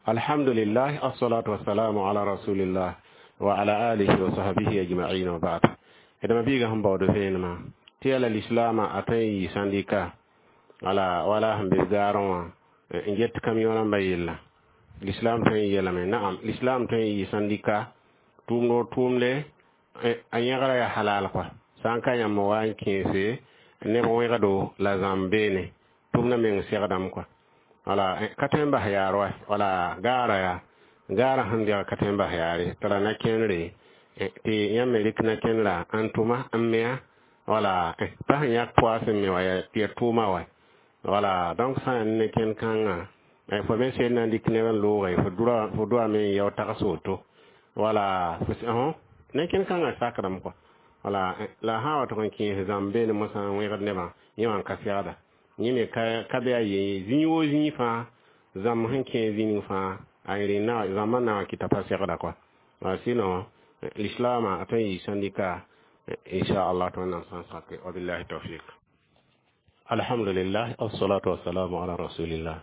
Alhamdulillah, assalatu wassalamu ala rasulillah wa ala alihi wa sahbihi ajma'in, wa ba'd. Edama biiga sẽn baood vẽenemã tɩ yaa la lislaamã a tõe n yɩ sãndika wala wala sẽn be gaarẽ wã n get camion rãmbã yella. L'islam tõe n yeelame? Naam, l'islam tõe n yɩ sãndika tʋʋmd o tʋʋmde a yẽgra yaa halal kɔa. Sã n ka yãmb wa n kẽese neb wẽgdo la zãmb beene tʋmdã meng segdame kɔa. Wala ka tõe n bas yaar wa wala gaara yaa gaara sẽn dɛg ka tõe n bas yaare t'a ra na kẽnere tɩ yãmb me rɩk na kẽnera n tʋma n mea wala pa sẽn yãk poa sẽn me wa tɩ ya tʋʋma wa. Wala donc sã n ne kẽnd kãngã fo me sel na n dɩk neb n looge fo dura fo doame n yao tags woto wala ne kẽnd kãngã sakdame kɔa. Wala la sã n wa tʋg n kẽes zãmb beene mosã n wẽgd nebã yẽ wã n ka segda yẽ me ka be a ye zĩig woo zĩig fãa zãmb sẽn kẽ zĩnig fãa a rẽnd zãmbã na n wa kɩta pa segda kɔa. Wala sinon l'islaamã a tõe n yɩ sãndika inchallah tɩ Wẽnnaam sã n sake. Wabillahi tawfiq. Alhamdulillah, assalatu wassalamu ala rasulillah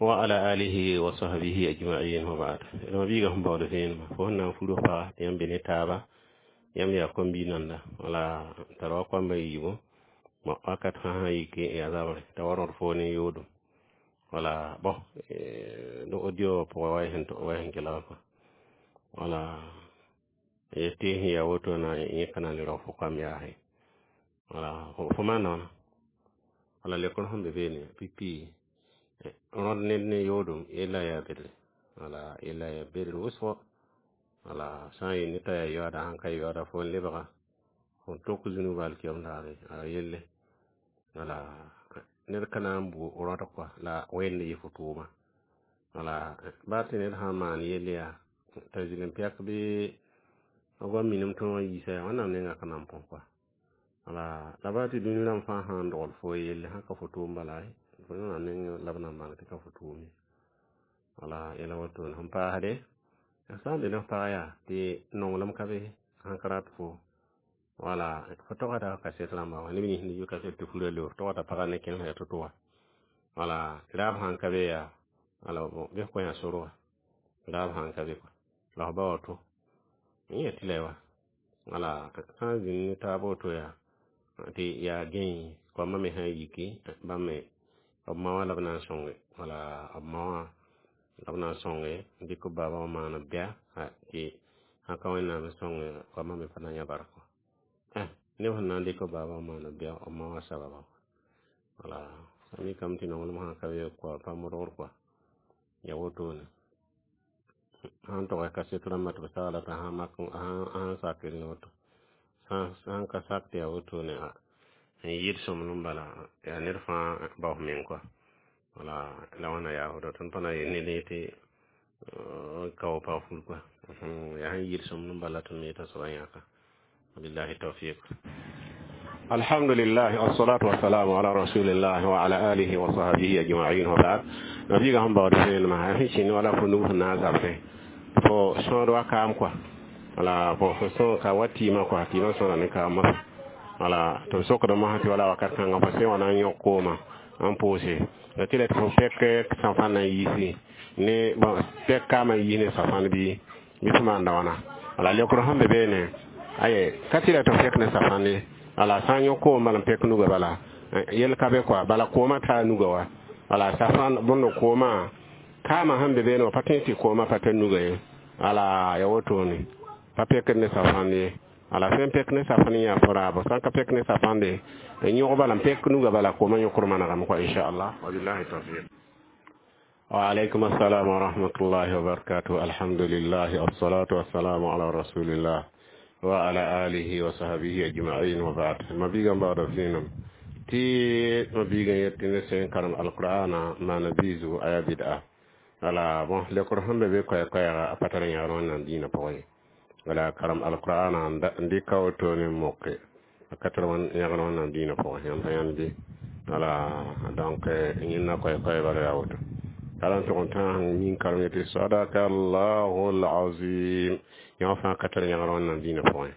wa ala alihi wa sahbihi ajma'in, wa ba'd. Ma biiga sẽn baood vẽenemã fo sẽn na n fur paga tɩ yãmb be ne taaba yãmb yaa kom-bi nanda wala tara wa koamba yiibu. Bon, wakat fãa sã yike yaa zabre t'a wa rõd foo ne yoodum. Wala bon no audio pʋgã wa sẽn kelg kɔa. Wala tɩ sẽn yaa woto na yẽ ka na n le rao fo koam yaase. Wala fo maana wãna wala lekr sẽn be beene pipi rõd ned ne yoodum yella yaa bedre wala yella yaa bedr wʋsgo. Wala sã n yel ne t'a yaa yoaada sãn ka yoaada fo n lebga fo n tok zũnug alkiyam daare a yelle. Wala ned ka na n bu rõd kɔa la wẽnd yɩ fo tʋʋma. Wala baa tɩ ned sã n maan yell yaa t'a zɩl n pɛk bɩ b goam minim tõog n yiisa yaa Wẽnnaam nengã ka na n põs kɔa. Wala la baa tɩ dũni rãmb fãa sã n dogl fo yelle sã ka fo tʋʋm bala Wẽnnaam neng la b na n bãng tɩ ka fo tʋʋm ye. Wala yɛla wotone sẽn paasde sã n be ne f pag yaa tɩ nonglem ka be sãn ka rat fo wala fo togda kaset rãmba wã neb nins yʋ kaset tɩ fura leo togda pagã ne kẽns yaa to-to wã. Wala raab sãn ka be yaa wala bɩ f kõ yã sor wã raab sãn ka be kɔa la f ba woto yẽ tɩ la wa. Wala sã n zĩnd ne taab woto yaa tɩ yaa gẽe koamã me sã n yiki bãmb me b ma wã la b na n sõnge wala b ma wã la b na n sõnge n dɩk b baaba wã maan b bɛa tɩ sãn ka Wẽnnaam n sõnge koamã me pa na n yã bark neb sẽn na n dɩk b baaba wã maan b bɛa b ma wã sababa. Wala mikame tɩ nonglem sã ka be koa pa modgr kɔa ya wotone sãn tɔgɛ kaset rãmbã tɩ b sagla t'a sã mak sã n sakr ne woto sãn ka sak tɩ yaa wotone n yɩɩd sõmblem bala yaa ned fãa bao f meng kɔa. Wala la wãna yaa woto tõnd pa na n yel ned tɩ ka wa pag fur kɔa yaa sẽn yɩɩd sõmblem bala tõnd me yeta soaba yãka. Wabillahi tawfiq. Alhamdulillah, wassalatu wassalamu ala rasulillah wa ala alihi wa sahbihi ajma'in, wa ba'd. Nabiga sẽn baood vẽenemã sẽn kẽnd wala fo nug sẽn na n zabsẽ fo sõod wa kaam kɔa. Wala bon fo sõo ka wa tɩɩmã kɔa tɩɩmã sõda ne kaamã. Wala tɩ b sokdame sã tɩ wala wakat kãngã fo sẽn wa na n yõk koomã n pʋʋse la tɩ la tɩ fo pɛk safãn na n yiisi ne bon pɛk kaamã n yiis ne safãn bɩ fo maanda wãna. Wala lekr sẽn be beene aye ka tɩ la tɩ f pɛk ne safãn ye. Wala sã n yõk koom bala n pɛk nuga bala yel ka be kɔa bala koomã taa nuga wa. Wala safãn bõnd koomã kaamã sẽn be beene wã pa tõe tɩ koomã pa tar nuga ye. Wala ya wotone pa pɛkd ne safãnd ye. Wala sẽn pɛk ne safãn yaa fo raabo sã n ka pɛk ne safãnde n yõg bala n pɛk nuga bala koomã yõkr manegame kɔa inchallah. Wabillahi tawfiq. وعليكم السلام ورحمة الله وبركاته. الحمد لله، الصلاة والسلام على رسول الله وعلى آله وصحبه أجمعين، وبعد. ما بيغا بعد فينا تي ما بيغا يتنى سين كرم القرآن ما نبيزو آية بدعة. Wala bon lekor sẽn be be koɛ koɛɛga a pa tar yãgr Wẽnnaam dĩinã pʋgẽ ye. Wala karem alqur'ana n dɩk a wotone n moke a ka tar yãgr Wẽnnaam dĩinã pʋgẽ yãmb pa yãnd bɩ. Wala donc yẽnda koɛ koɛɛ bala yaa woto kala n tʋg n tãag nin karem yetɩ sadaka allahu alazim yã fãa ka tar yãgr Wẽnnaam dĩinã pʋgẽ.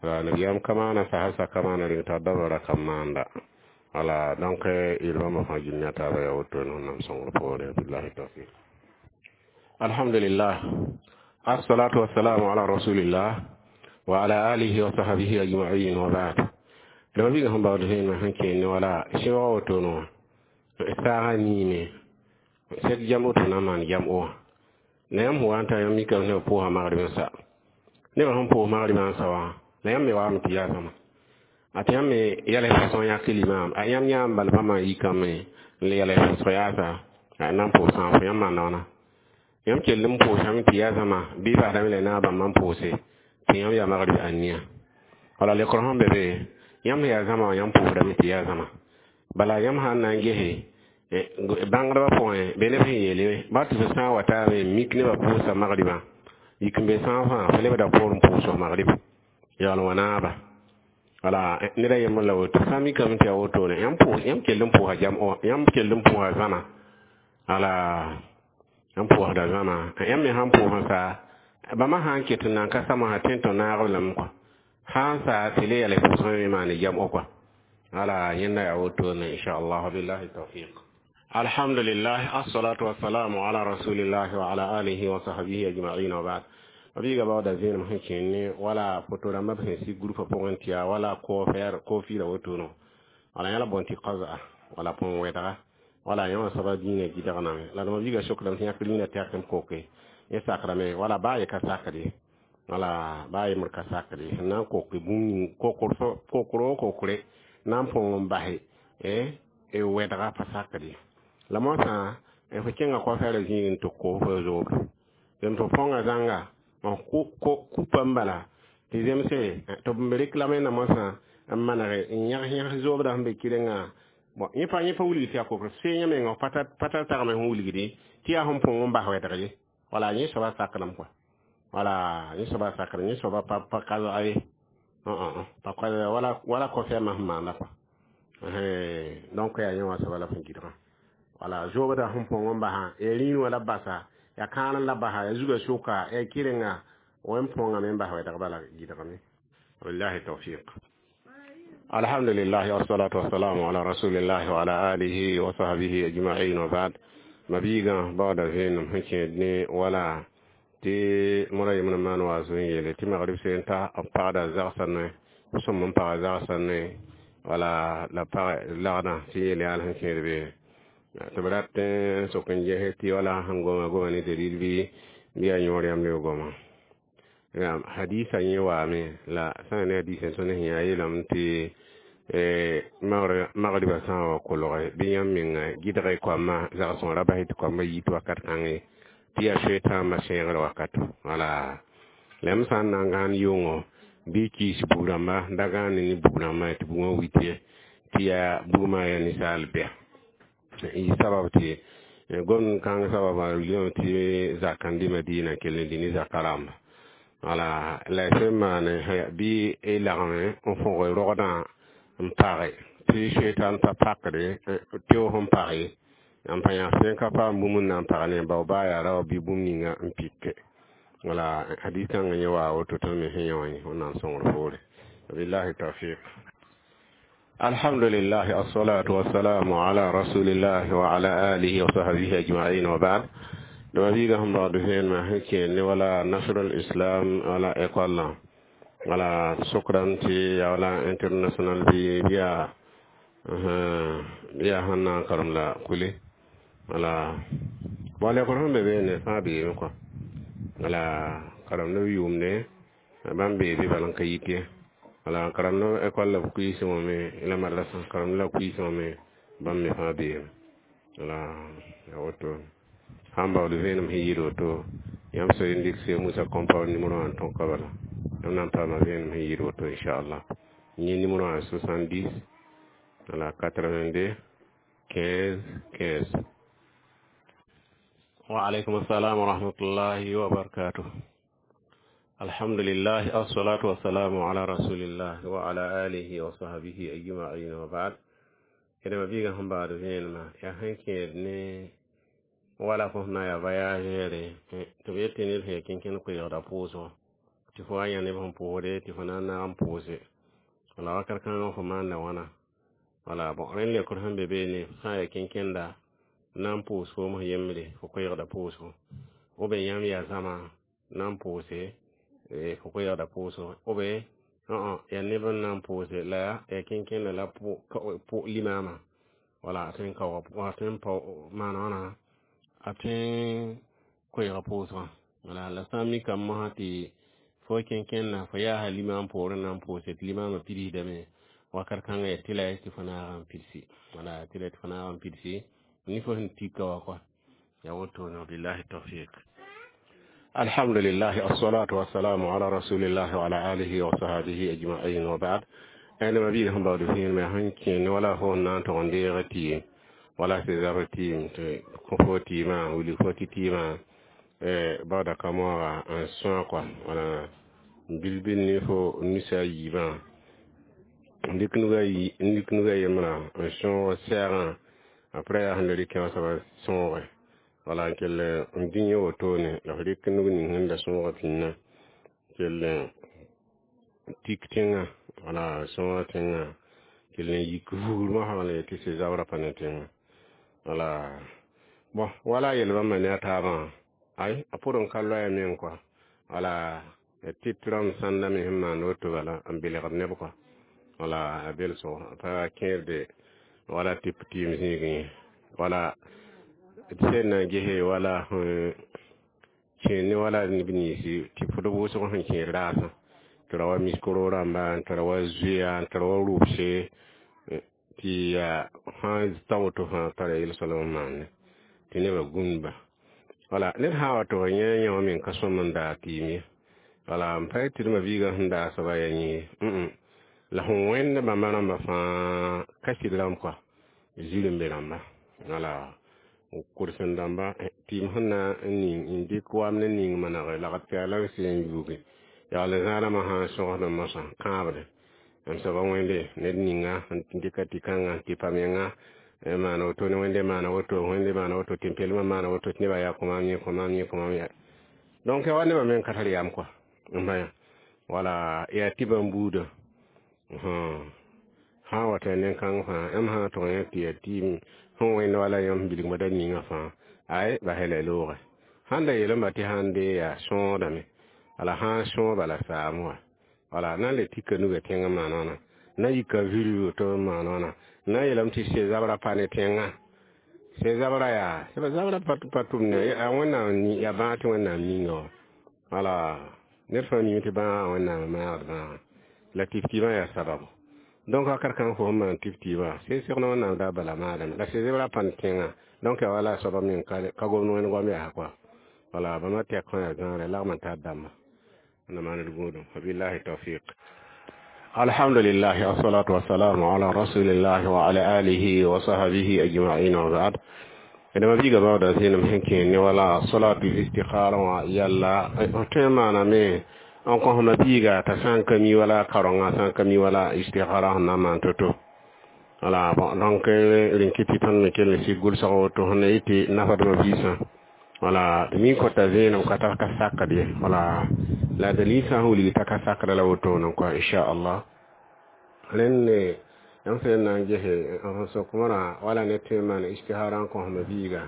Wala nabiyaam ka maana sasa ka maana reng t'a dabra ka maanda. Wala donc yel bãmba fãa gil ne a taaba yaa wotone Wẽnnaam sõngr poore. Billahi tawfiq. Alhamdulillah, assalatu wassalamu ala rasulillah wa ala alihi wa sahbihi ajma'in, wa ba'd. Da bi ga hamba da hin hanke ne wala shewa woto no saga ni ne sek jam'o to na man jam'o na yam huwanta yam mika ne po ha magriba sa ne ba hon po magriba sa wa na yam me wa mi tiya sama ati yam me yale façon ya kilima a yam yam bal pa ma yikame le yale façon ya sa a nan po sa fo yam ma nona yam kellum po sam tiya sama bi ba da le na ba man po se ti yam ya magriba ania wala le qur'an bebe yam ya zama yam po da mi tiya sama bala yam han nan gehe bãngdbã pʋgẽ be neb sẽn yeele ba tɩ f sã n wa taame mik nebã pʋʋsa magribã yik n be sãag fãa fo lebda poor n pʋʋs magrib yaool wã naaba wala ned a yembr la woto sã n mikame tɩ yaa wotone yãmb kell n pʋʋsa jam yãmb kell n pʋʋsa zãma wala yãmb pʋʋsda zãma yãmb me sãn pʋʋsã sa bãmba sã n ket n nan ka samsã tẽ tõ naagb lame kɔa sã n sa tɩ le yɛl pʋʋsgã me maane jam'o kɔa wala yẽnda yaa wotone inchallah billahi tawfiq. Alhamdulillah, assalatu wassalamu ala rasulillah wa ala alihi wa sahbihi ajma'in, wa ba'd. Mabiiga baooda vẽenem sẽn kẽne wala foto rãmbã sẽn sig groupa pʋgẽ tɩ yaa wala koofɛɛr koofira wotono wala yãla bõn tɩ kaza wala põn wɛdga wala yã wã soaba dĩinã gɩdgname la d mabiiga sokdame tɩ yãk rĩinã tɛk n koke yẽ sakrame wala baa ye ka sakd ye wala baa yembr ka sakd ye sẽn na n koke bũmb ning kokr o kokre na n põng n base wɛdga pa sakd ye la moasã fo kẽnga koafɛɛrã zĩig n tɩ koos fo zoobr zem tɩ põnga zãnga kupa n bala tɩ zemse tɩ b reklame na moasã n manege n yãgs yãgs zoobdã sẽn be kɩrengã bon yẽ pa wilgd tɩ yaa kokr see yẽ menga pa tar tagme sẽn wilgde tɩ yaa sẽn põng n bas wɛdg ye wala yẽ soaba sakdame kɔa wala yẽ soaba sakdame yẽ soaba pa ka zoa ye pa wala kɔfɛɛmã sẽn maanda kɔa donc yaa yẽ wã soaba la fẽn gɩdgã wala zoobda sẽn põng n basã ya rĩin wã la basa ya kãan la basa ya zuga sʋka ya kɩrenga wẽn põngame n bas wɛdg bala gɩdgame wabillahi tawfiq. Alhamdulillah, wassalatu wassalamu ala rasulillah wa ala alihi wa sahbihi ajma'in, wa ba'd. Mabiigã baooda vẽenem sẽn kẽed ne wala tɩ mora yembrã maan wa zoe n yeele tɩ magrib seen ta b pagda zagsã noe sõm n paga zagsã noe wala la pag lagdã tɩ yeel yaal sẽn kẽed be tɩ b rat n sok n ges tɩ wala sẽn goma goma ne dalil bɩ yaa yõor yãmb leb goma hadisa yẽ waame la sã n ne hadisa tõnd sẽn yaa yeelame tɩ magriba sã n wa kolge bɩ yãmb menga gɩdg koamã zagsẽ ra bas tɩ koambã yit wakat kãngẽ tɩ yaa soetãambã sẽegr wakato wala la yãmb sã n na n gãan yʋngo bɩ kiis bug-rãmba da gãane ne bug-rãmbã tɩ bugã wit ye tɩ yaa bugmã yaa ninsaal bɛa y sabab tɩ gomd kãng sababa wilgame tɩ zak n dɩ Madina kell n dĩ ne zaka rãmba wala la y sẽn maane bɩ y lagme n fõg rogdã n page tɩ soetãn pa pakde teoog n pag ye n pa yãs sẽn ka paam bũmb n na n pag ne bao baa yaa rao bɩ bũmb ninga n pike wala hadis kãngã yẽ waa woto tõnd me sẽn yã wã wẽnnaam sõngr poore wabillahi tawfiq. Alhamdulillah, assalatu wassalamu ala rasulillah wa ala alihi wa sahbihi ajma'in, wa ba'd. Dama biiga sẽn baood vẽenemã sẽn kẽed ne wala nasrul islam wala école wala sokdame tɩ yaa wala international bɩ yaa sẽn na n karem la kule wala bon lekr sẽn be beene fãa beeme kɔa wala karemd b yʋʋmde bãmb bee be bal n ka yit ye wala karemd école la b kuiisẽ wã me la madrasa karemd la kuiisẽ wã me bãmb me fãa beeme wala yaa woto sãn baood vẽenem sẽn yɩɩd woto yãmb so n dɩk se Musa Compound numéro wã n tõka bala yãmb na n paama vẽenem sẽn yɩɩd woto inchallah yẽ numéro wã 70 wala 82 15 15. Wa alaikum assalam wa rahmatullahi wa barakatuh. Alhamdulillah, assalatu wassalamu ala rasulillah wa ala alihi wa sahbihi ajma'in, wa ba'd. Kedema biiga sẽn baood vẽenemã yaa sẽn kẽed ne wala fo sẽn na yaa voyagere tɩ b yet tɩ ned sẽn ya kẽnkẽnd koeegda pʋʋsgo tɩ fo wa yã neb sẽn pʋʋsde tɩ fo na n naag n pʋʋse wala wakat kãngã fo maanda wãna wala bon rẽnd lekr sẽn be beene sã n ya kẽnkẽnda na n pʋʋs foom sẽn yembre fo koeegda pʋʋsgo. Ou bien yãmb yaa zãma na n pʋʋse fo koɛɛgda pʋʋsgo, ou bien yaa neb n na n pʋʋse la yaa kẽnkẽndã la limaamã, wala a tõe n kaooga, a tõe n maan wãna, a tõe n koɛɛga pʋʋsgã. Wala la sã n mikame mosã tɩ fo kẽnkẽndã fo yaasa limaam poorẽ na n pʋʋse tɩ limaamã pidsdame, wakat kãngã yaa tɩ la tɩ fo naag n pidsi, wala tɩ la tɩ fo naag n pidsi ne fo sẽn tika wa kɔa yaa wotone. Billahi tawfiq. Alhamdulillah, assalatu wassalamu ala rasulillah wa ala alihi wa sahbihi ajma'in, wa ba'd. Ẽn ma biig sẽn baood vẽenemã sẽn kẽnd wala fo na n tog n deega tɩɩm wala sɩ zabr tɩɩm tɩ kõ fo tɩɩmã wilg fo tɩ tɩɩmã baooda ka moaga n sõa kɔa, wala bil-bil ne fo nusa yiibã n dɩk nuga yembrã n sõog sɛɛgã, après yaa sẽn le rɩkẽ wã soaba sõoge, wala n kell n dĩ yẽ wotone la f rɩk nug ning sẽn da sõoga pĩnnã kell tik tẽngã, wala sõoga tẽngã kell n yik vugr mosã wala yetɩ sɩ zabrã pa ne tẽngã. Wala bõn wala a yel bãmba ne a taabã, ay a pʋd n ka loɛɛ meng kɔa, wala tɩ rãmb sãnda me sẽn maand woto bala n belgd neb kɔa, wala a belso a pa kẽerde wala tɩ tɩɩm zĩigẽ ye, wala sẽn na n gese wala sẽn kẽer ne wala neb ninsi tɩ fd wʋsg sẽn kẽer raasã tɩ ra wa miskoro rãmba, n tara wa zoeya, n tara wa rʋbse, tɩ yaa sã ta woto fãa tara yel-soalem n maande tɩ nebã gũudba. Wala ned sã n wa tɩ f yẽ yã wã meng ka sõm n daag tɩɩm ye, wala n pa tɩ d ma-biigã sẽn daag soaba yaa yẽ ye, la sẽn wẽnd bãmba rãmbã fãa ka sɩd rãmb kɔa zirẽmbe rãmba, wala kʋrsem dãmba tɩɩm sẽn na n ning n dɩk wam ne ning manege lagd pɛɛla n sɩ n yuuge yagl zãadãmã sã n sõgsd mosã kãabde m soaba wẽnde ned ninga n dɩka tɩ kãnga tɩ pa menga maana woto ne wẽnde maana woto, wẽnde maana woto, tɩ pelmã maana woto, tɩ nebã yaa kõ maam yẽ, kõ maam yẽ, kõ maam yã. Donc yaa wa nebã meng ka tar yam kɔa n bã wala yaa tɩ bãmb buudã sã n wa tɩ nen-kãng fãa yãmb sã n tʋg yẽ tɩ yaa tɩɩm sẽn wẽnd wala yãmb bilgmã da ninga fãa ay basɛ la loogɛ sãn da yeelame tɩ sãn dee yaa sõodame, wala sã n sõo bala saam wã, wala na n le tika nuga tẽngã maan wãna na yika virg woto n maan wãna na n yeelame tɩ sɛ zabrã pa ne tẽngã, sɛ zabrã yaa zabrã pa tʋmne yaa Wẽnnaam yaa bãag tɩ Wẽnnaam ninga wã, wala ned fãa mime tɩ bãagã Wẽnnaam maagd bãagã la tɩf-tɩɩmã yaa sababu. Donc wakat kãng fo sẽn maan tɩf-tɩɩmã sẽn segd Wẽnnaam daa bala maadame la sɛ zebrã pa ne tẽngã. Donc yaa wala a soaba meng ka gomd wẽnd goam yaa kɔa, wala bãmba tɛk fãa yaa zãgrɛ lagm n tar dãmba na maan d gũudum. Wabillahi tawfiq. Alhamdulillah, assalatu wassalamu ala rasulillah wa ala alihi wa sahbihi ajma'in, wa ba'd. Dama biiga baooda zẽenem sẽn kẽer ne wala salatu istikhara wã yalla tõe n maaname n kõsma biiga t'a sã n ka mi wala karonga sã n ka mi wala istikhara sẽn na n maan to-to. Wala bon, donc rẽn kɩ tɩ tõnd me kell n sig gʋlsg woto sẽn na yetɩ nafdmã biisã, wala tɩ mi kõta zẽenem ka tar ka sakd ye, wala la dalil sã n wilg t'a ka sakda la wotone kɔa, inchallah. Rẽnd ne yãmb sẽn na n gese n sok wãna wala ne tõe n maan istihara n kõsma biiga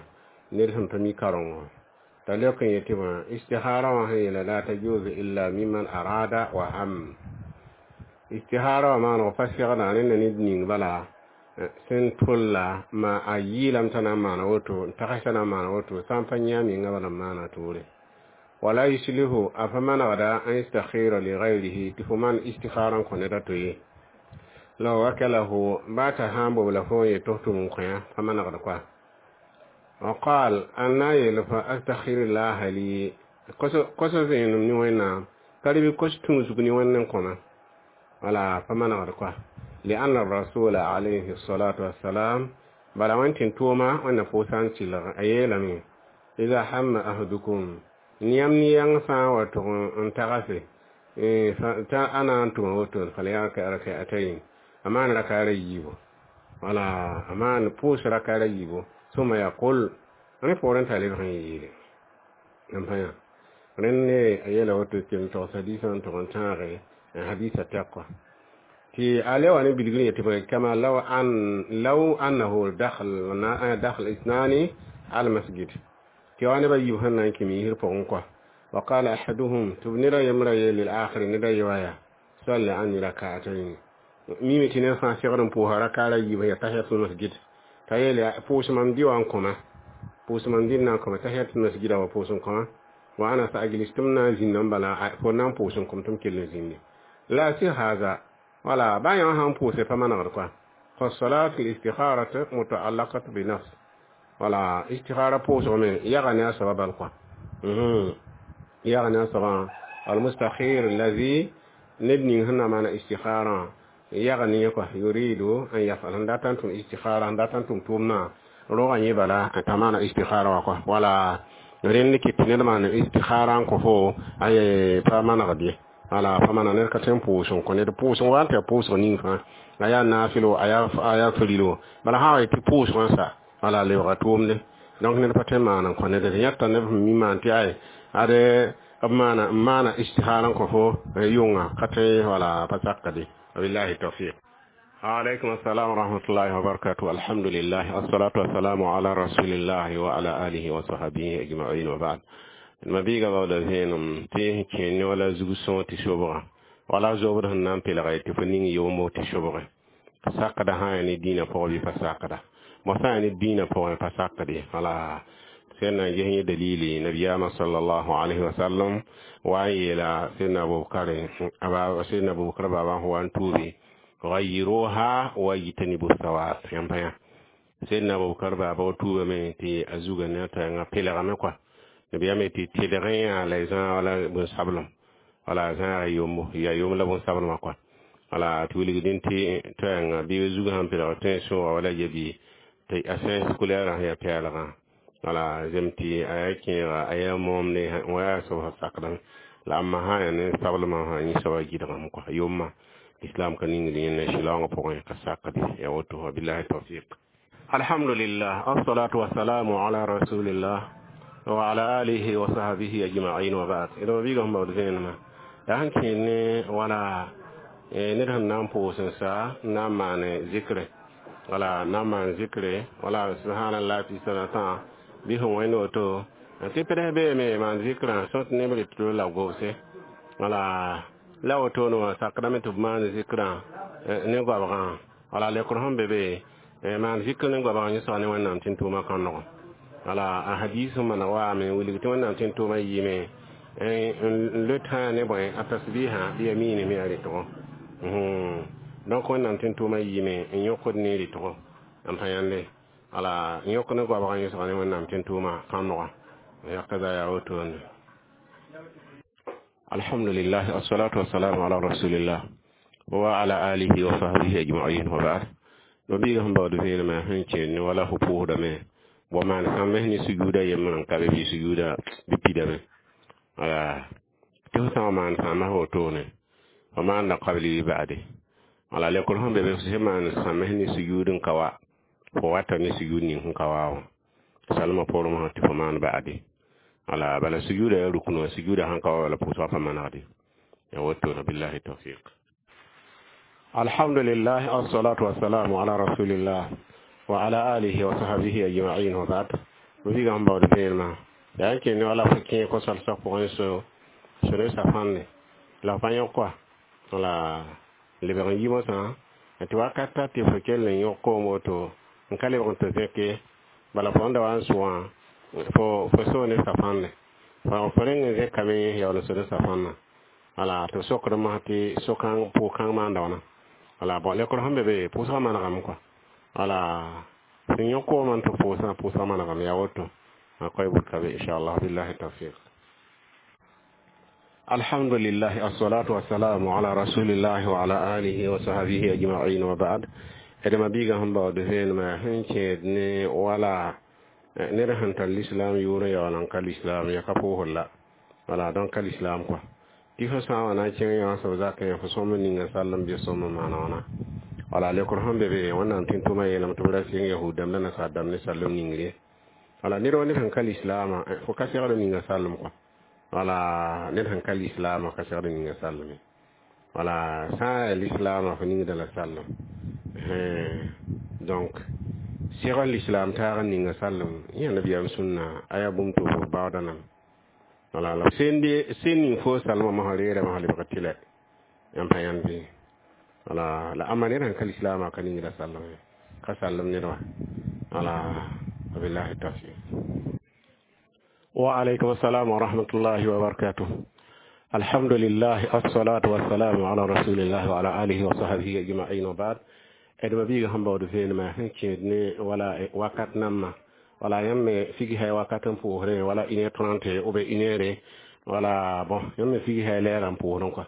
ned sẽn pa mi karengo t'a leok n yetɩ bã istihara wã sẽn yeela la tajuzu illa mimman arada wa ham istihara wã maaneg pa segda rẽnda ned ning bala sẽn tolla ma a yɩɩlame t'a na n maana woto n tags t'a na n maana woto sã n pa yã menga bala n maana toore. Wala yuslihu a pa manegda an yastakhira li gayrihi tɩ fo maan istikhara n kõ ned a to ye law wakalahu ba t'a sã n bob la fo n yet tɩ f tʋm n kõ pa manegd koa. وقال أنا يلف أستخير الله لي قص زين من وين قريب قص تمسكني وين كنا ولا فما نغرقوا لأن الرسول عليه الصلاة والسلام بلا وانت توما وانا فوسان تلغ أيلمي إذا هم أحدكم نيام نيام سا وتغن انتغسي أنا أنتم وتون فليركع ركعتين أمان ركع ريبو ولا أمان بوس ركع ريبو ثم يقول أنا فورن تالي بخن يجيلي أمبايا رن أيلا وتو كل توس حديثا تغن تاغي حديث التقوى تي عليه وأنا بيقول يتبع كما لو أن لو أنه دخل دخل اثنان على المسجد. Tɩ wa neb a yiib sẽn na n kẽ miisr pʋgẽ kɔa. Wa qala ahaduhum, tɩ b ned a yembra yeel lil-akhir ned a ye wa yaa salli anni rak'atayn. Mime tɩ ned fãa segd n pʋʋsa rakaar a yiib sẽn yaa tahiyatul masjid. T'a yeel yaa pʋʋs mam dɩ wã n kõma, pʋʋs mam dɩ n na n kõma tahiyatul masjida wa pʋʋs n kõma. Wa ana sa ajlis, tɩ m na n zĩnda n bala fo na n pʋʋs n kõm tɩ m kell n zĩndi. La sɩ haza, wala baa yã sãn pʋʋse pa manegd kɔa. Fa salatu listikharatu mutaallaqatu bi nafs. Wala istikhara pʋʋsg me yaga ne a soaba bal kɔa. Yaga ne a soabã. Almustakhir allazi, ned ning sẽn na maana istikharã yaga ne yẽ kɔa, yuridu an yafal, sẽn dat n tʋm istikhara, sẽn dat n tʋm tʋʋmdã rogã yẽ bala t'a maana istikhara wã kɔa. Wala rẽnd kɩt tɩ ned maan istikhara n kõ fo ay pa manegd ye. Wala pa maneg ned ka tõe n pʋʋs n kõ ned pʋʋsg wa n tɩ ya pʋʋsg ning fãa, a yaa naafɩlo, a yaa frilo, bala sã wa tɩ pʋʋsg n sa wala lebga tʋʋmde. Donc ned pa tõe n maan n kõ ned d yãta neb sẽn mi maan tɩ ay ade b maana n maana istikhara n kõ fo yʋnga ka tõe, wala pa sakde. Wabillahi tawfiq. Alaikum assalam wa rahmatullahi wa barakatuh. Alhamdulillah, assalatu wassalamu ala rasulillah wa ala alihi wa sahbihi ajma'in wa ba'd. Ma biiga baooda vẽenem tɩ kẽen wala zug sõor tɩ sobga wala zobd sẽn na n pelga tɩ fo ning yoomo tɩ sobge sakda sã yaa ne dĩinã pʋgẽ bɩ pa sakda mo sã yaa ne dĩinã pʋgẽ pa sakd ye. Wala sẽn na n ges yẽ dalili, nabiyaamã sallallahu alayhi wa sallam wa n yeela sẽdna Abubakar baaba sẽn wa n tuubi gayiruha wa yitanibu sawat yãmb pa yã. Sẽdna Abubakar baaba wa tuubame tɩ a zuga ne a t'a pelgame kɔa. Nabiyaamã tɩ tɩlg yã la zã wala bõn-sablem, wala zãaga yombo ya yomb la bõn-sablmã kɔa. Wala tɩ wilgdẽ tɩ toɛɛngã bɩ zugã sẽn pelg tõe sõoga wala yabi tɩ a sẽns kulɛɛrã sẽn yaa pɛɛlgã. Wala zem tɩ a yaa kẽega a yaa moomde wa yaa soab sẽn sakdame la amma sã yaa ne sablmã sã yẽ soaba gɩdgame kɔa yomma islam ka ningd yẽnda sɩlaoongã pʋgẽ ka sakde ya woto. Wabillahi tawfiq. Alhamdulillah, assalatu wassalamu ala rasulillah wa ala alihi wa sahbihi ajma'in wa ba'd. D ma biiga sẽn baood vẽenemã yaa sẽn kẽed ne wala ned sẽn na n pʋʋs n sa n na n maan zikre, wala n na n maan zikre wala subhanallah tɩ sã tã bɩ sẽn wẽnd woto tɩ pds beeme maan zikrã sõ tɩ neb rɩt la gobse. Wala la wotone wã sakdame tɩ b maan zikrã ne goabgã. Wala lekr sẽn be be maan zikr ne goabgã yẽ soa ne Wẽnnaam tɩ n tʋʋma kãndgõ. Wala a hadis sẽn maneg waame wilg tɩ Wẽnnaam tɩ n tʋʋma yɩɩme n le tã ne bõe a tasbiha bɩ ya miine me a rɩtgo. Donc Wẽnnaam tɩ n tʋʋma yɩɩme n yõkd ne rɩtgo n pa yãnde. Wala n yõk ne goabgã yẽ soa ne Wẽnnaam tɩ n tʋʋma kãndgã yakaza yaa wotone. Alhamdulillah, assalatu wassalamu ala rasulillah wa ala alihi wa sahbihi ajma'in wa ba'd. No biiga sẽn baood vẽenemã sẽn kẽed ne wala fo pʋʋsdame wa maan sãmbs ne sujuuda yembr n ka be bɩ sujuuda bɩ pidame. Wala tɩ fo sã n wa maan sãmbs wotone fo maanda qabli bɩ ba'de. Wala lekr sẽn be be sẽn maan sãmbs ne sujuud n ka wa fo wata ne sujuud ning sẽn ka wa wã salmã pormã tɩ fo maan ba'de. Wala bala sujuuda yaa rukn wã sujuuda sãn ka wa wala pʋʋsgã pa manegde ya wotone. Billahi tawfiq. Alhamdulillah, assalatu wassalamu ala rasulillah wa ala alihi wa sahbihi ajma'in wa ba'd. No biiga sẽn baood vẽenemã yaa n kẽ ne wala fo kẽ ko-salsg pʋgẽ so ne safãnde la fa yõk kɔa. Wala lebg n yi mosã tɩ wakat ta tɩ fo kell n yõk koom woto n ka lebg n tɩ zẽke bala fo sẽn da wa n sʋgã fo soo ne safãnde fo rẽng n zẽkame yaool n so ne safãnnã. Wala tɩ sokd mosã tɩ so-kãng pʋʋg-kãng maanda wãna. Wala bõ lekr sẽn be be pʋʋsgã manegame kɔa. Wala sẽn yõk koomã n tɩ pʋʋsã pʋʋsgã manegame yaa woto a koa bʋd ka be inchallah. Billahi tawfiq. Alhamdulillah, assalatu wassalamu ala rasulillah wa ala alihi wa sahbihi ajma'in wa ba'd. D ma biiga sẽn baood vẽenemã sẽn kẽed ne wala ned sẽn tar l'islam yʋʋr n yaool n ka l'islam ya ka pʋʋsd la. Wala donc ka l'islam kɔa tɩ fo sã n wa na n kẽng yã soab zakẽ fo sõm n ninga sallem bɩ sõm n maana wãna. Wala lekr sẽn be be Wẽnnaam tɩ n tʋma yeelame tɩ b ra sɩng yahud dãmb la nasaar dãmb ne sallem ningre. Wala ned wa ned sẽn ka lislaamã fo ka segd ninga sallem kɔa. Wala ned sẽn ka lislaamã ka segd ninga sallem. Wala sã n yaa lislaamã fo ningda la sallem. Donc Segl lislaam taag n ninga sallem yã nabiyaam sũnna a yaa bũmb tʋʋg baooda nam. Wala la sẽn ning fo salmã mosã reera mosã lebg tɩlɛ yãmb pa yãnd bɩ wala la ãmba ned sẽn ka lislaamã ka ningda sallem ye, ka sallem ned wã. Wala wabillahi tawfiq. Wa alaykum assalam wa rahmatullahi wa barakatuh. Alhamdulillah, assalatu wassalamu ala rasulillah wa ala alihi wa sahbihi ajma'in, wa ba'd. D ma biiga sẽn baood vẽenemã sẽn kẽed ne wala wakat nambã, wala yãmb me figsã wakat n pʋʋsrẽ wala 1h30 ou bien 1h, wala bon, yãmb me figsã lɛɛrã n pʋʋsrẽ kɔa.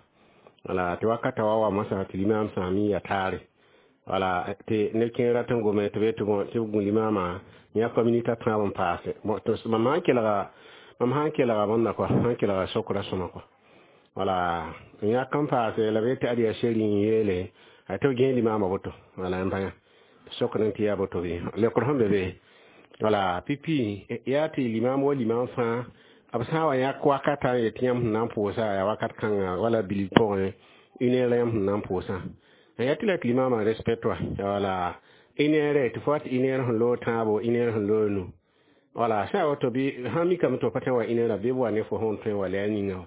Wala tɩ wakata wa wa masã tɩ limaam sã mi ya taare, wala tɩ neb kẽer rat n gome tɩ be tɩ bon tɩ b gũ limaamã yãka minita tãab n paase. Bon, tɩ mam sãn kelga bõnda kɔa, sãn kelga sokra sõma kɔa, wala yãk n paase la be tɩ ad yaa seri n yeele a tɩ b gẽe limaamã woto. Wala n bãya sokr n tɩ yaa boto bɩ lekr sẽn be be. Wala pipi yaa tɩ limaam wa limaam fãa b sã n wa yãk wakata n yet tɩ yãmb sẽn na n pʋʋsa yaa wakat kãnga wala bilf pʋgẽ 1h la yãmb sẽn na n pʋʋsã yaa tɩ la tɩ limaamã respect wa. Wala 1h tɩ fo wat 1h sẽn loog tãabo, 1h sẽn loog nu. Wala sã woto bɩ sã mikame tɩ f pa tõe wa 1h bɩ b wa ne fo sẽn tõe wa la yaa ninga wã.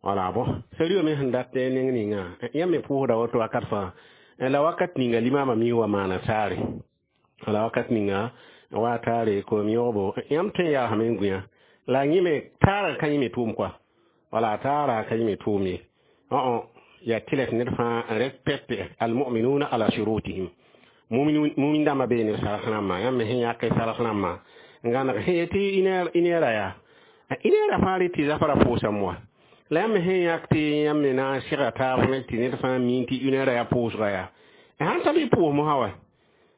Wala bon, sariyo me sẽn dat neng ninga yãmb me pʋʋsda woto wakat fãa la wakat ninga limaamã mi wa maana taare. Wala wakat ninga wa taare koom yõgbo yãmb tõe n yaasame n gũya la yẽ me taarã ka yẽ me tʋʋm kɔa. Wala taarã ka yẽ me tʋʋm ye. Yaa tɩ la tɩ ned fãa n respecte almuminuna ala shurutihim. Mumin dãmbã bee neb sarg rãmbã, yãmb me sẽn yãk sarg rãmbã n gãneg sẽn yetɩ 1h yaa 1h fãa rɩ tɩ zafrã pʋʋsame wa. La yãmb me sẽn yãk tɩ yãmb me na n sɩga taab ne tɩ ned fãa mi tɩ 1h yaa pʋʋsga yaa sãn ta bɩ pʋʋs mosã wa.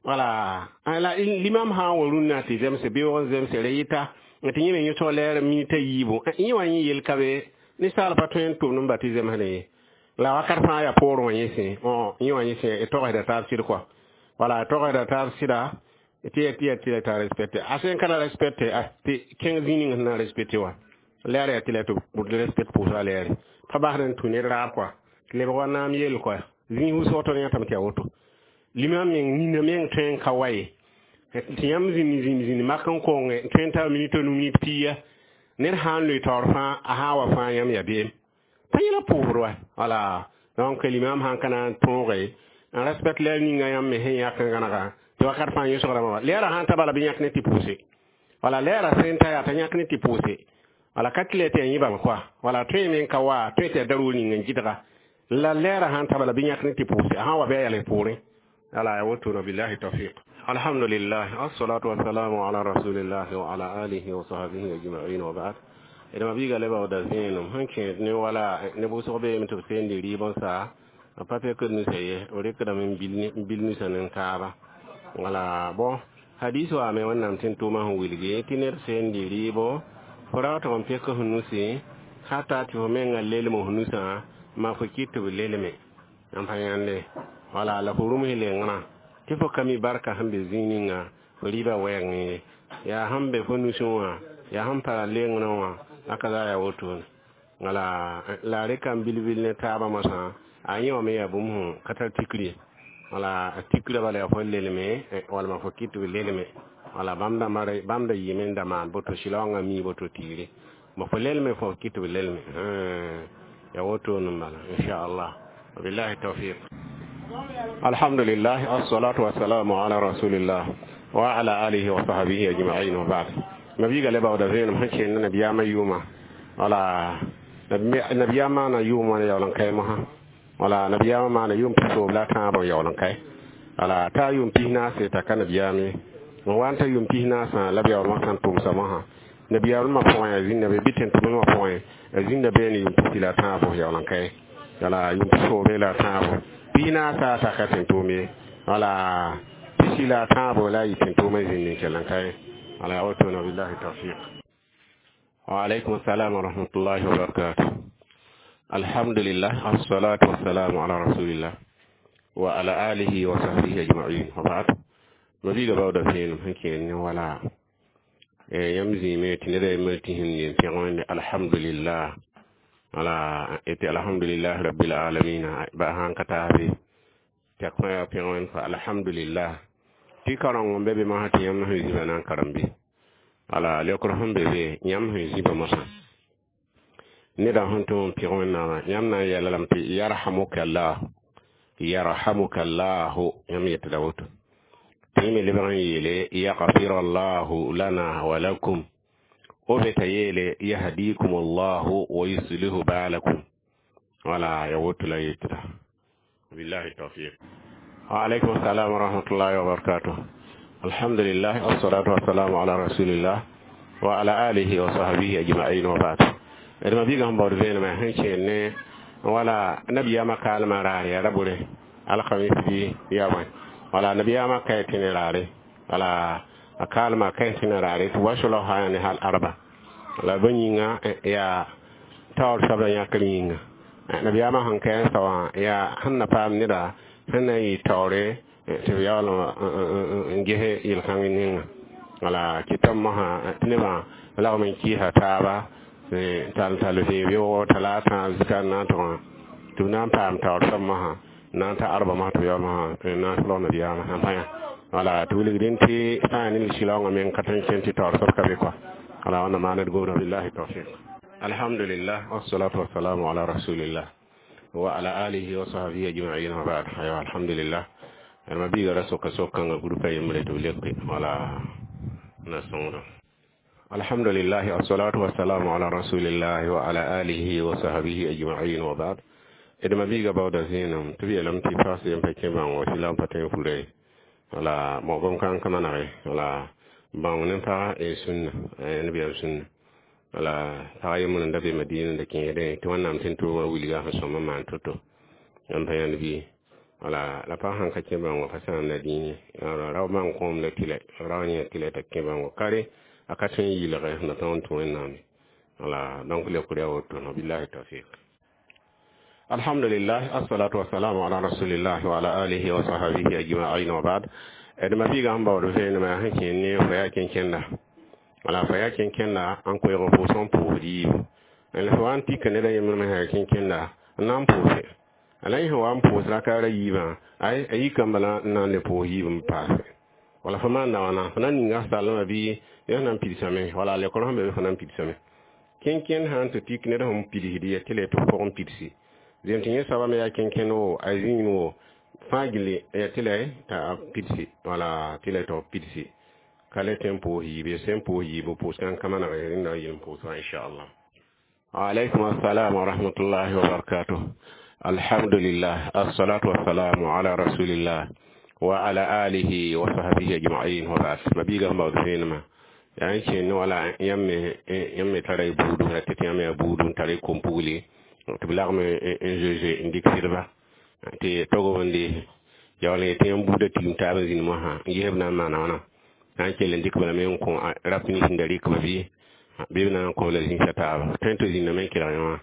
Wala la limam sã n wa rũnnã tɩ zemse beoog n zemse ra yɩta tɩ yẽ me yõsg lɛɛr minita yiibu, yẽ wa yẽ yel ka be ninsaal pa tõe n tʋmd n ba tɩ zemsdẽ ye. La wakat fãa yaa poorẽ wã yẽ sẽ yẽ wã yẽ sẽ togsda taab sɩd kɔa. Wala togsda taab sɩda tɩ ya tɩ ya tɩ la t'a respecte a sẽn ka la respecte tɩ kẽng zĩig ning sẽn na n respecte wa lɛɛr yaa tɩ la tɩ b respect pʋʋsga lɛɛre pa basd n tũ ned raab kɔa tɩ lebg wa naam yell kɔa zĩig wʋsg tõnd yãtame tɩ yaa woto. Limam meng nina meng tõe n ka wa ye tɩ yãmb zĩnd zĩnd zĩnd mak n konge tõe n tar minit nu minit pia ned sã n loe taoor fãa a sã n wa fãa yãmb yaa beem pa yẽla pʋʋsd wa. Wala donc limam sãn ka na n tõoge n respect lɛɛr ninga yãmb me sẽn yãk n gãnega tɩ wakat fãa yõsgrãmã wa lɛɛrã sãn ta bala bɩ yãk ne tɩ pʋʋse. Wala lɛɛrã sẽn ta yaa t'a yãk ne tɩ pʋʋse. Wala ka tɩ la tɩ yaa yẽbame kɔa. Wala tõe me n ka wa tõe tɩ yaa daroor ning n gɩdga la lɛɛrã sãn ta bala bɩ yãk ne tɩ pʋʋse a sã n wa bɩ a yals poorẽ. Ala ya woto na billahi tawfiq. Alhamdulillah, assalatu wassalamu ala rasulillah wa ala alihi wa sahbihi ajma'in, wa ba'd. D ma biiga le baooda vẽenem sẽn kẽed ne wala ne wʋsg beeme tɩ b seendi rɩɩb n sa b pa pekd nusa ye, b rɩkdame n bil nusa nin taaba. Wala bon, hadis waame wẽnnaam tɩ n tʋʋmã sẽn wilgi tɩ ned seendi rɩɩbo fo ra tɩ f pek f nusi hata tɩ fo menga lelem f nusã ma fo kɩt tɩ b lelme n pa yãnde. Wala la fo rũms lengrã tɩ fo ka mi barka sẽn be zĩig ninga fo rɩɩbã wɛɛngẽ ye, yaa sẽn be fo nusẽ wã yaa sẽn para lengrã wã aka za yaa wotone. Wala la rɩka n bil-bil ne taabã mosã a yẽ wã me yaa bũmb sẽn ka tar tikr ye. Wala tikra bala yaa fo lelme walma fo kɩt tɩ b lelme. Wala bãmb da yɩɩme n da maan boto sɩlaoongã mii boto tiire ma fo lelme fo kɩt tɩ b lelme yaa wotone n bala inchallah. Wabillahi tawfiq. Alhamdulillah, assalatu wassalamu ala rasulillah wa ala alihi wa sahbihi ajma'in, wa ba'd. Ma biiga le baooda vẽenem sẽn kẽnd nabiyaamã yʋʋma. Wala nabiyaam maana yʋʋm wã yaool n kae mosã. Wala nabiyaamã maana yʋʋm pisoob la a tãabã n yaool n kae. Wala t'a yʋʋm pis naase t'a ka nabiyaam ye n wa n ta yʋʋm pis naasã la b yaoolmã sãn tʋmsa mosã nabiyaamã pʋgẽ a zĩnda be bɩ tẽn-tʋmdmã pʋgẽ a zĩnda beene yʋʋm pisi la a tãabo yaool n kae. Wala yʋʋm pisoobe la a tãabo pis naasa t'a ka tẽn-tʋʋm ye. Wala pisi la a tãabo la a yɩ tẽn-tʋʋmã zĩnd n kell n kae. Wala wotone billahi tawfiq. Wa alaykum assalam wa rahmatullahi wa barakatuh. Alhamdulillah, assalatu wassalamu ala rasulillah wa ala alihi wa sahbihi ajma'in, wa ba'd. Ma biiga baooda vẽenem sẽn kẽed ne wala yãmb zĩime tɩ neda yembr tɩ sẽn yen pẽg wẽnde alhamdulillah. Wala tɩ alhamdulillah rabbil alamin ba sãn ka taabe tɩ a kõ yaa pẽg wẽnd fa alhamdulillah. Tɩ kareng n be be mosã tɩ yãmb sẽn zĩba na n karem bɩ wala leokr sẽn be be yãmb sẽn zĩba mosã neda sẽn tʋm n pɩg Wẽnnaamã yãmb na n yeela lame tɩ yarhamuka llah yarhamuka llahu yãmb yetda woto tɩ yẽ me lebg n yeele yagfir allahu lana wa lakum o be t'a yeele yahdikum allahu wa yuslihu balakum wala ya woto la yetda billahi tawfiq. Wa alaikum assalam wa rahmatullahi wa barakatuh. Alhamdulillah, wassalatu wassalamu ala rasulillah wa ala alihi wa sahbihi ajma'in wa ba'd. D ma biigã sẽn baood vẽenemã sẽn kẽer ne wala nabiyaamã kaalmã raar yaa ra bore alkamis bɩ yaa bõe wala nabiyaamã kae tẽne raare wala a kaalmã kae tẽne raare tɩ wa solg sã ne hal arba la bõe yĩnga yaa taoor soabla yãkr yĩnga nabiyaamã sẽn kae n sao wã yaa sẽn na paam neda sẽn na n yɩ taoore tɩ b yaool n ges yel-kãng ninga wala kɩtame mosã tɩ nebã lagm n kɩɩsa taaba tall tall vẽeb yoogo talata zikar na n tʋgã tɩ b na n paam taoor soab mosã na n ta arba mosã tɩ b yaool mosã n na n solg nabiyaamã sãn pa yã wala tɩ wilgdẽ tɩ sã n yaa ne lislaoongã meng ka tõe n kẽn tɩ taoor soab ka be kɔa wala wãnna maana d gomda billahi tawfiq. Alhamdulillah, wassalatu wassalamu ala rasulillah wa ala alihi wa sahbihi ajma'in wa ba'd. Aywa, alhamdulillah, ma biiga ra soka sok-kãngã grupa yembre tɩ b leke wala na sõngdo. Alhamdulillah, wassalatu wassalamu ala rasulillah wa ala alihi wa sahbihi ajma'in wa ba'd. D ma biiga baooda zẽenem tɩ b yeelame tɩ paas yem pa kẽ bãngo tɩ la n pa tõe n fura ye wala bõn kãng ka manege wala bãong ne pag e sũnna nebiyaam sũnna wala pag yembr n da be Madina da kẽedẽ tɩ Wẽnnaam sẽn tʋʋmã wilga sẽn sõm n maan to-to yãmb pa yãnd bɩ wala la pag sãn ka kẽ bãongo pa sãamda dĩin ye rao bãng kõom la tɩlɛ rao yẽ tɩlɛ t'a kẽ bãongo kare a ka tõe n yɩlge sẽn na tõog n tũ Wẽnnaam wala donc leokr yaa woto no billahi tawfiq. Alhamdulillah, assalatu wassalamu ala rasulillah wa ala alihi wa sahbihi ajma'in wa ba'd. D ma biiga sẽn baood vẽenemã sẽn kẽer ne fo yaa kẽnkẽnda wala fo yaa kẽnkẽnda n koeeg pʋʋs n pʋʋsd yiibu la fo wa n tika ned a yembr me sã yaa kẽnkẽnda n na n pʋʋse la yẽ sẽn wa n pʋʋs rakaara yiibã ay a yikãmba la n na n le pʋʋs yiib n paase wala fo maanda wãna fo na n ninga sallmã bɩ yẽ sẽn na n pidsame wala lekr sẽn be be fo na n pidsame kẽnkẽnd sã n tɩ tik ned sẽn pidsd ya tɩ la tɩ pʋgẽ pidsi zem tɩ yẽ soaba me yaa kẽnkẽnd wo a zĩig wo fãa gilli ya tɩ la t'a pidsi wala tɩ la tɩ b pidsi ka le tɩ n pʋʋs yiib ye sẽn pʋʋs yiib pʋʋs kãng ka maneg rẽnda yel n pʋʋs wã inchallah. Waalaikum assalam wa rahmatullahi wa barakatuh. Alhamdulillah, assalatu wassalamu ala rasulillah wa ala alihi wa sahbihi ajma'in wa ba'd. Ma biiga sẽn baood vẽenemã yaa n kẽer ne wala yãmb me tara y buudu ra tɩ yãmb yaa buudu n tara y kom-pugli tɩ b lagm n zoe zoe n dɩk sɩdba tɩ tog n de yaool n yetɩ yãmb buudã tigim taab n zĩnd mosã n ges b na n maana wãna na n kell n dɩk balame n kõ rap nins n da rɩkba bɩ bɩ b na n kõ la zĩnsã taaba tõe n tɩ zĩndame n kelg yẽ wã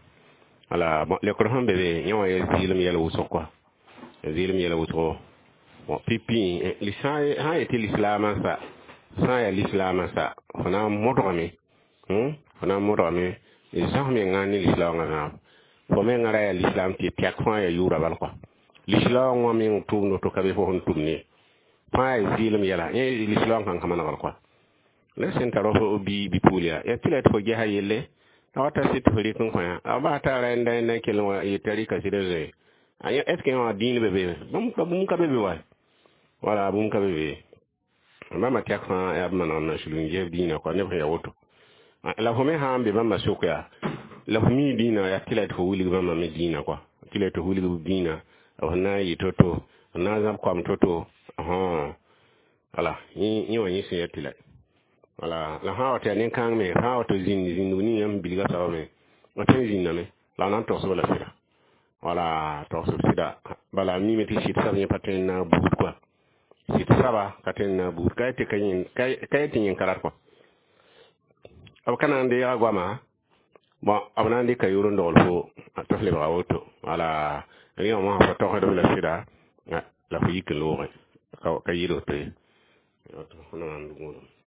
wala lekr sẽn be be yẽ wã yaa zɩɩlem yɛl wʋsg kɔa zɩɩlem yɛl wʋsgo bon pipi sã yetɩ lislaamã sa sã n yaa lislaamã sa fo na n modgame fo na n modgame zãs menga ne lislaoongã zãab fo mengã ra yaa lislaam tɩ tɛk fãa yaa yʋʋra bal kɔa lislaoongã meng tʋʋmd to ka be fo sẽn tʋm ne fãa yaa zɩɩlem yɛla yẽ lislaoong sãn ka manegr kɔa la sẽn tar fo bi bi-pugl yaa tɩ la tɩ fo gesa yelle a wata sɩ tɩ fo rɩk n kõ yã a bas t'a ra n da kell n wa yet'a rɩka sɩd n zoe est ce que yẽ wã dĩin be be bũmb ka be be wa wala bũmb ka be be bãmba tɛk fãa yaa b manegem na sulg n ges dĩinã kɔa neb sẽn yaa woto la fo me sã n be bãmba sʋk yaa la fo mi dĩinã yaa tɩ la tɩ fo wilg bãmba me dĩinã kɔa tɩ la tɩ wilg b dĩinã f na n yɩ to-to f na n zãb koam to-to wala yẽ wã yẽ sẽn yaa tɩ la wala la sã wa tɩ yaa nin-kãng me sã wa tɩ zĩnd zĩndg ning yãmb bilga soaba me f tõe n zĩndame la f na n togsb la sɩda wala togsb sɩda bala mime tɩ sɩd sab yẽ pa tõe n na n buud kɔa sɩd saba ka tõe n na n buud ka yetɩ yẽn ka rat kɔa b ka na n deega goama bon b na n dɩka yʋʋr n dogl fo tɩ f lebga woto wala rẽ wã mosã fo togsdb la sɩda la fo yik n loogẽ ka yɩl woto ye.